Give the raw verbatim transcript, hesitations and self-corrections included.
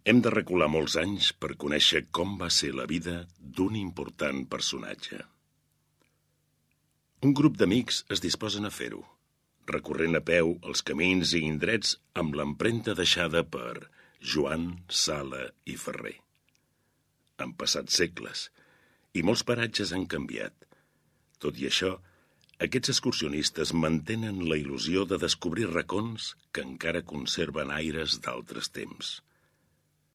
Hem de recular molts anys per conèixer com va ser la vida d'un important personatge. Un grup d'amics es disposen a fer-ho, recorrent a peu els camins i indrets amb l'empremta deixada per Joan Sala i Ferrer. Han passat segles i molts paratges han canviat. Tot i això, aquests excursionistes mantenen la il·lusió de descobrir racons que encara conserven aires d'altres temps.